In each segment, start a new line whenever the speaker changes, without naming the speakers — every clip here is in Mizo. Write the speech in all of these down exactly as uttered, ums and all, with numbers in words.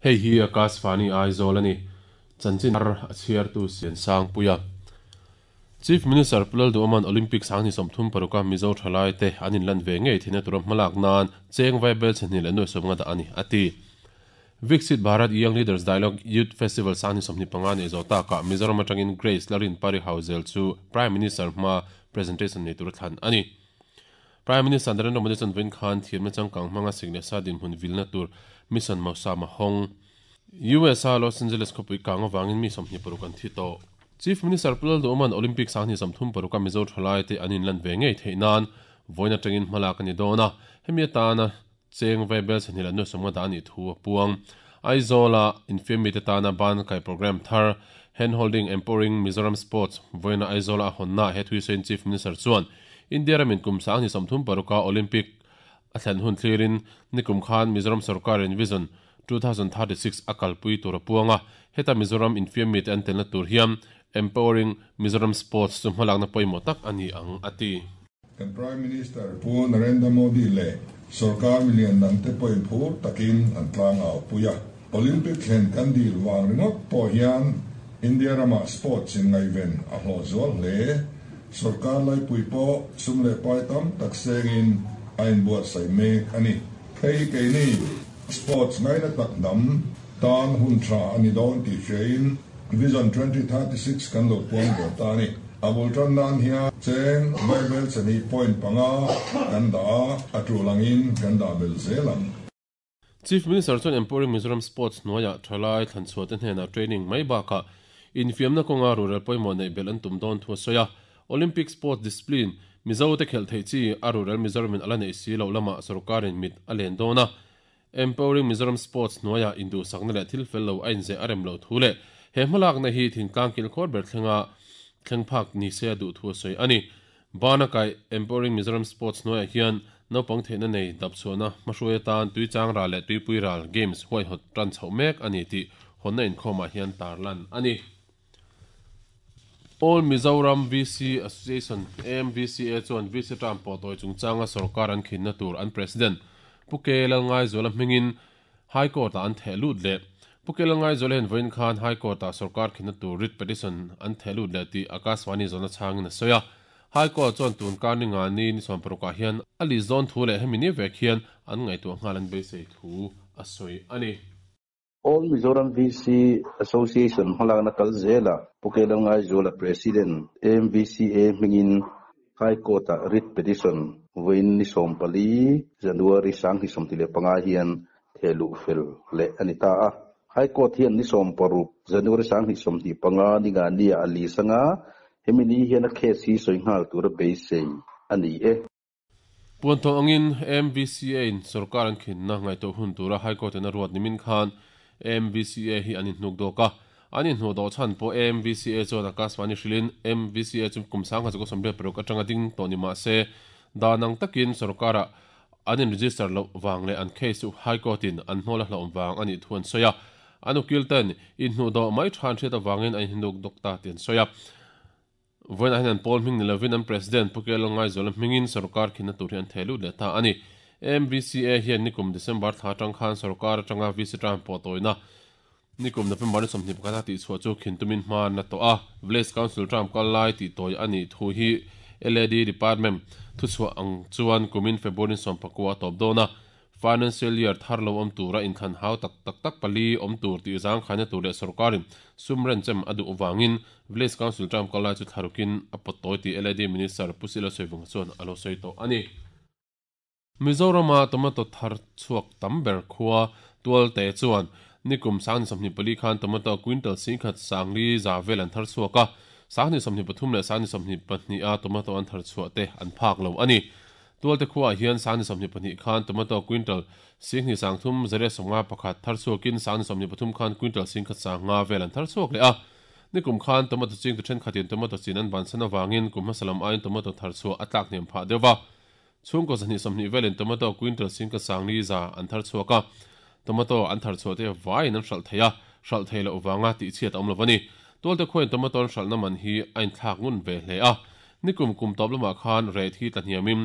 Hei hi Akashvani Aizawl ani. Chanchin thar a chhiartu Siansangpuia. Chief Minister Pu Lalduhoma'n Olympic Sanghni sawmthum paruka Mizo thalai te an inlan ve ngei theihna tura hmalak nan cheng vaibel chhehnih leh nuai sawmnga dah a ni, a ti. Viksit Bharat Young Leaders Dialogue Youth Festival Sanghni sawmhnih panga nei zawh takah Mizoram atangin Grace Larin Pari Hauzel chu Prime Minister hma presentation nei tura thlan a ni. Prime Minister Narendra Modi chuan vawiin khan thiamna changkang hmanga sik leh sa dinhmun vilna tur Mission Mausam a hawng. U S a Los Angeles khawpui kang avangin mi sawmhnih paruk an thi tawh. Chief Minister Pu Lalduhoma'n Olympic Sanghni sawmthum paruka Mizo thalai te an inlan ve ngei theih nan vawiin atangin hmalak a ni dawn a, hemi atana cheng vaibel chhehnih leh nuai sawmnga dah a nih thu a puang. Aizawla infiammi te tana ban kai program thar Hand Holding Empowering Mizoram Sports vawiina Aizawla a hawnna he thuisawiin Chief Minister chuan India ramin kum Sanghni sawmthum paruka Olympic a thlen hun thlirin nikum khan Mizoram sarkarin Vision two thousand thirty-six a kalpui tur a puang a, heta Mizoram infiammi te an telna tur hian Empowering Mizoram Sports chu hmalakna pawimawh tak a ni ang, a ti.
Kan Prime Minister Pu Narendra Modi leh sarkar milian dang te pawhin phur takin an tlang au pui a. Olympic thlen kan dil wang ringawt pawh hian India rama sports in ngaiven a hlawh zual hle. Sarkar laipui pawh sum leh pai tam tak sengin a inbuatsaih mek a ni. Hei keini sports ngaina tak hnam tan hun tha a ni dawn tih hriain Vision twenty thirty-six kan lo puang ve ta ni. Abul tan nan hian cheng vaibel chhehnih point panga kan dah a, a tulangin kan dah bel zelang.
Chief Minister chuan Empowering Mizoram Sports hnuaiah thalai thlanchhuah te hnenah training mai bakah infiamna kawnga rural pawimawh neih bel an tum dawn thu a sawi a. Olympic Sports Discipline Mizo te khelh theih chi a rural Mizoramin ala neih si lo lamah sarkarin mit a len dawn a. Empowering Mizoram Sports hnuaiah induhsakna leh thil fel lo a inzeh a rem lo thu leh he hmalakna hi thingtlang kilkhawr ber thlenga thleng phak ni se a duh thu a sawi a ni. Bana kai Empowering Mizoram Sports hnuaiah hian naupang theihna nei dapchhuahna hmahruai atan tuichang ral leh tuipui ral games huaihawt tan chhoh mek a ni tih hawnna inkhawmah hian tarlan a ni. All Mizoram V C Association A M V C A chuan V C term pawh tawi chungchanga sarkar an khinna tur an president Pu K Lalngaizuala hmingin High Court-ah an theh lut leh. Pu K Lalngaizuala hian vawiin khan High Court-ah sarkar khinna tur writ petition an theh lut leh tih Akashvani zawhna changin a sawi a. High Court chuan tun kar ni nga ni ni sawm parukah hian a li zawn thu leh hemi ni vek hian an ngaihtuah nghal an beisei thu a sawi a ni.
All Mizoram V C Association hmalakna kal zela Pu K Lalngaizuala President A M V C A hmingin High Court-ah writ petition vawiin ni sawm pali January Sanghni sawmti leh panga hian thehluh fel leh a ni ta a. High Court hian ni sawm paruk January Sanghni sawmti panga ni nga ni a li sanga hemi ni hian a case hi sawi nghal tura beisei a ni e.
Puantawh angin A M V C A in sarkar an khinna ngaihtuah hun tura High Court in a ruat nimin khan A M V C A hi an inhnuk dawk a. An inhnuh dawh chhan pawh A M V C A chuan Akashvani hrilhin A M V C A chu kum sangha chu sawmriat paruk atanga ding tawh ni mah se danang takin sarkarah an in register loh wang leh an case chu High Court in an hnawl a hlauh wang a nih thu an sawi a. An ukil ten inhnuh dawh mai than hriat awangin an inhnuk dawk ta ti an sawi a. Vawiin ah hian an pawl hming ni lovin an president Pu K Lalngaizuala hmingin sarkar khinna tur hi an theh lut leh ta a ni. A M V C A hian nikum December thla atang khan sarkar atanga V C term pawh tawina nikum November ni sawmhnih pakhat a tihchhuah chu khintumin hma na tawh a. Village Council term kal lai tih tawi a nih thu hi L A D Department thuchhuah ang chuan kumin February sawm pakua a tawp dawn a. Financial year thar lo awm tura inthlan hau tak tak tak pali awm tur tih zang khaina tur leh sarkarin sum renchem a duh wangin Village Council term kal lai chu thlarukin a pawt tawi tih L A D Minister Pu Sila Sawivawnga chuan a lo sawi tawh a ni. Mizorama tomato thar chhuak tam ber khua tual te chuan nikum Sanghni sawmhnih pali khan tomato quintal singkhat sangli za vel an thar chhuak a. Sanghni sawmhnih pathum leh Sanghni sawmhnih pahnih a tomato an thar chhuah te an phak lo a ni. Tual te khuaah hian Sanghni sawmhnih pahnih khan tomato quintal singhnih sangthum zare sawmnga pakhat thar chhuakin Sanghni sawmhnih pathum khan quintal singkhat sanga vel an thar chhuak leh a. Nikum khan tomato ching tu thenkhatin tomato chin an ban san awangin kum hmasalam aiin tomato thar chhuah a tlak hniam phah deuh a. Chhungkaw zahnih sawmhnih velin tomato quintal singkhat sangli za an thar chhuak a. Tomato an thar chhuah te vaiin an hralh thei a, hralh thei loh wanga tih chhiat a awm lo a ni. Tual te khuain tomato an hralhna man hi a inthlak ngun ve hle a. Nikum kum tawp lamah khan rate hi tla hniamin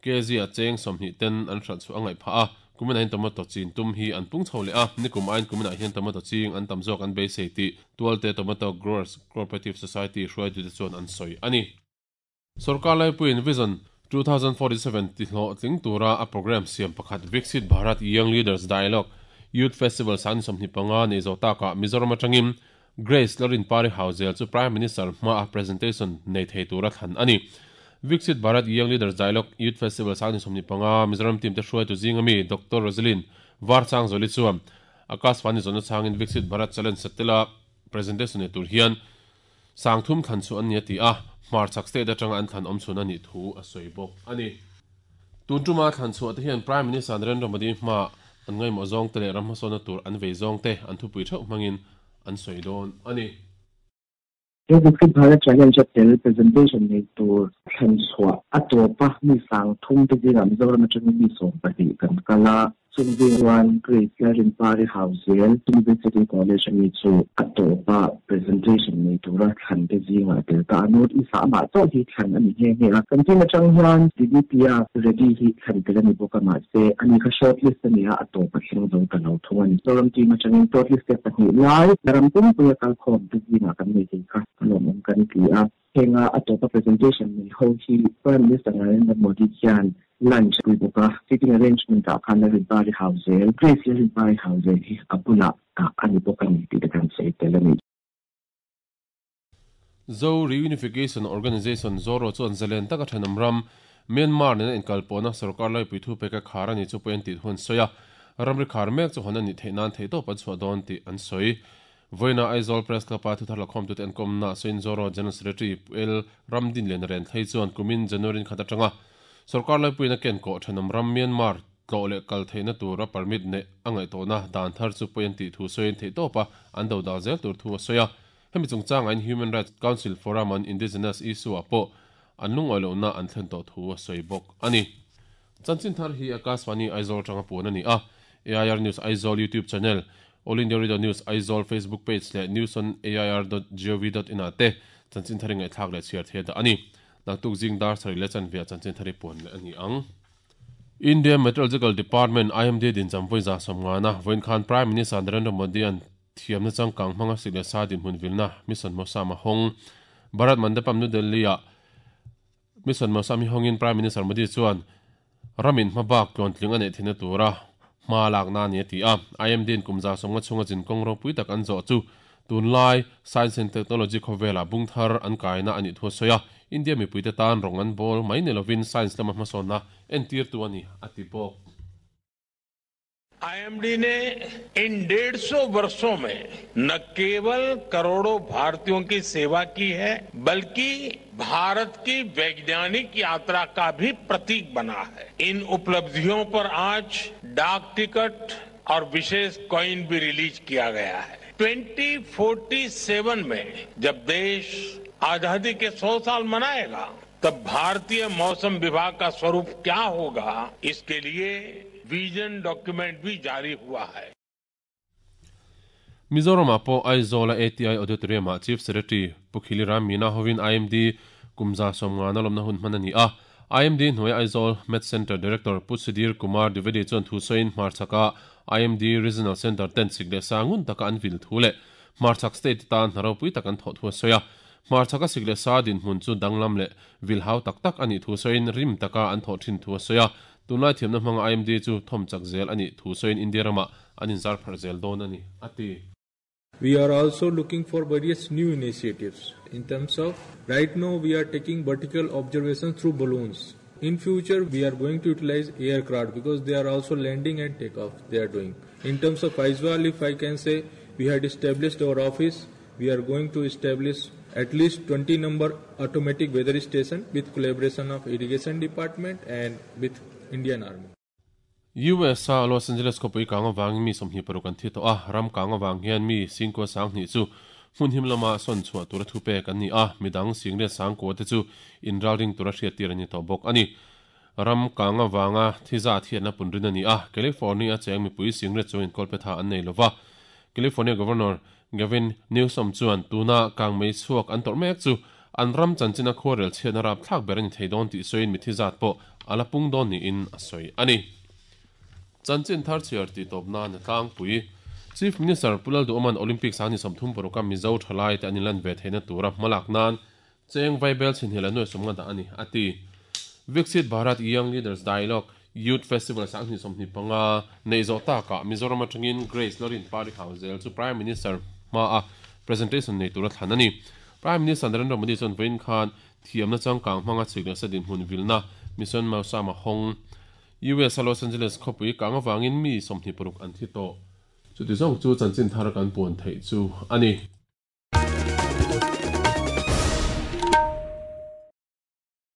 K G a cheng sawmhnih ten an hralh chhuah a ngaih phah a. Kumin ahin tomato chin tum hi an pung chho le a nikum ain kumin ah hian tomato ching an tam zawk an beisei ti Tualte Tomato Growers Cooperative Society hruai tu te chuan an sawi ani. Sarkar laipuiin Vision two thousand forty-seven ti hlawh tling tura a program siam pakhat Viksit Bharat Young Leaders Dialogue Youth Festival san sawmhnih panga nei zo taka Mizoram atangin Grace Lorin Pari Hauzel chu Prime Minister hma a presentation nei thei tura thlan ani. Viksit Bharat Young Leaders Dialogue Youth Festival san sawmhnih panga Mizoram team te hruai tu zingami Doctor Rosalyn Varchang Zoli chuan Akashvani zona changin Viksit Bharat Challenge satela presentation nei tur hian sangthum thlan chu an ni ti a hmarchak state atanga an thlan awm chhun ani thu a sawi bawk ani. Tuntuma thlan chu ate hian Prime Minister Narendra Modi hma an ngai maw zawng te leh ram hmasawna tur an vei zawng te an thupui theuh hmangin an sawi dawn ani.
He Viksit Bharat Challenge tel presentation nei tur thlan chhuah a tawpa mi sang thum te zingah Mizoram atangin mi sawm pahnih kan kala chungzing Grace Larin Pari Hauzel University College ami chu a tawpa presentation nei tura thlan te zingah tel ta anut i sa ma chaw hi thlan ani nge nge a kan tin atang hian Diditya Reddy hi thlan tel ani bawk a mahse ani kha shortlist ani a a tawpa thleng zo ta lo thung ani. Mizoram team atangin shortlist te pahnih lai ram pumpuia kalkhawm te zingah kan nei thei kha alawm awm kan ti a henga a tawpa presentation nei ho hi Prime Minister Narendra Modi hian lunch pui bawk a sitting arrangement ah khan Larin Pari Hauzel Grace Larin Pari Hauzel hi a bulah ani bawk ani tih te kan sawi tel ani.
Zo Reunification Organization Zoro chuan zalen taka thanam ram Myanmar nena inkalpawhna sarkar laipui thu peka khar ani chu pawh an tih hun sawi a ramri khar mek chu hawn ani theih nan thei tawp an chhuah dawn tih an sawi. Voina Aizawl Press Club a thuthar lakhawm tute an kawmna sawiin Zoro General Secretary L Ramdin Lian Ren thlei chuan kumin January khat atanga sarkar laipuina ken kawh thanam ram Myanmar tlawh leh kal theihna tura permit nei a ngaihtuahna dan thar chu pawh an tih thu sawiin theih tawpa an do dal zel tur thu a sawi a hemi chungchang ain Human Rights Council Forum on Indigenous Issue ah pawh an lungawi lohna an thlen tawh thu a sawi bawk ani. Chanchin thar hi Akashvani Aizawl tanga puan ani a A I R News Aizawl YouTube channel All India Radio News Aizawl Facebook page leh news on A I R dot gov dot in ate chanchin thari ngai thlak leh chhiar the da ani. Naktuk jing dar sari le chan via chanchin thari puan le ani ang. India Meteorological Department I M D din chamvoi za somngana voin khan Prime Minister Narendra Modi an thiamna changkang hmanga sik leh sa din hmun vilna Mission Mausam a hawng Bharat Mandapam New Delhi ah Mission Mausam hi hawngin Prime Minister Modi chuan ramin hmabak tluan tling a neih theihna tura hma lakna ani a ti a I M D in kumza somnga chunga chin kawng ropui tak an zawh chu tunlai Science and Technology khawvela bungthar an kaina ani thu sawi a India mipuite tan rong an ball mai ni lovin science lama hmasawnna entir tu ani a ti bawk.
I M D ने इन डेढ़ सौ वर्षों में न केवल करोड़ों भारतीयों की सेवा की है बल्कि भारत की वैज्ञानिक यात्रा का भी प्रतीक बना है। इन उपलब्धियों पर आज डाक टिकट और विशेष कॉइन भी रिलीज किया गया है। Twenty forty seven में जब देश आजादी के सौ साल मनाएगा तब भारतीय मौसम विभाग का स्वरूप क्या होगा, इसके लिए विजन डॉक्यूमेंट भी जारी हुआ है।
Mizoram pawh Aizawl A T I Auditorium ah Chief Secretary Pukhili Ram Meena hovin I M D kumza sawmngana lawmna hun hman ani a I M D hnuai Aizawl Met Center Director Pu Sudhir Kumar Dwivedi chuan thu sawiin hmarchaka I M D Regional Center ten sik leh sangun taka an vil thu leh hmarchak state tan hnaropui tak an thawh thu a sawi a hmarchaka sik leh sa din hmun chu danglam leh vilhau tak tak ani thu sawiin rim taka an thawh thin thu a sawi a tunlai thiamna hmanga I M D chu thawmchak zel ani thu sawiin India rama an inzar phar zel dawn ani ati.
We are also looking for various new initiatives in terms of right now we are taking vertical observations through balloons. In future we are going to utilize aircraft because they are also landing and takeoff they are doing. In terms of Aizawl, if I can say, we had established our office. We are going to establish at least twenty number automatic weather station with collaboration of irrigation department and with Indian Army.
U S a Los Angeles khawpui kang awangin mi sawmhnih paruk an thi tawh a ram kang awang hian mi singkua sang hnih chu hmun him lama sawn chhuah tura thu pek an ni a midang singriat sangkua te chu inral ring tura hriat tir ani tawh bawk ani ram kang awanga thiza thiatna punrin ani a California cheng mipui singriat chu inkawl tha an nei lova California Governor Gavin Newsom chuan tuna kang mei chhuak an tawrh mek chu an ram chanchina khawrel chhiatna rap thlak ber ani thei dawn tih sawiin mi thizat pawh ala pung dawn niin a sawi ani. Chanchin thar chhiar tih tawp nan a tlangpui. Chief Minister Pu Lalduhoma'n Olympics a ni sawmthum paruk a Mizo thalai te an inlan ve theihna tura hmalak nan cheng vaibel chhinhnih leh nuai sawmnga dah a ni, a ti. Viksit Bharat Young Leaders Dialogue Youth Festival sanghnih sawmhnih panga neih zawh takah Mizoram atangin Grace Lorin Pari Hauzel chu Prime Minister hmaa presentation nei tura thlan a ni. Prime Minister Narendra Modi chuan vawiin khan thiamna changkang hmanga chhik leh sa dinhmun vilna Mission Mausam a hawng. U S a Los Angeles khawpui kang avangin mi sawmhnih paruk an thi tawh. Chuti zawng chu chanchin thar kan puan theih chu a ni.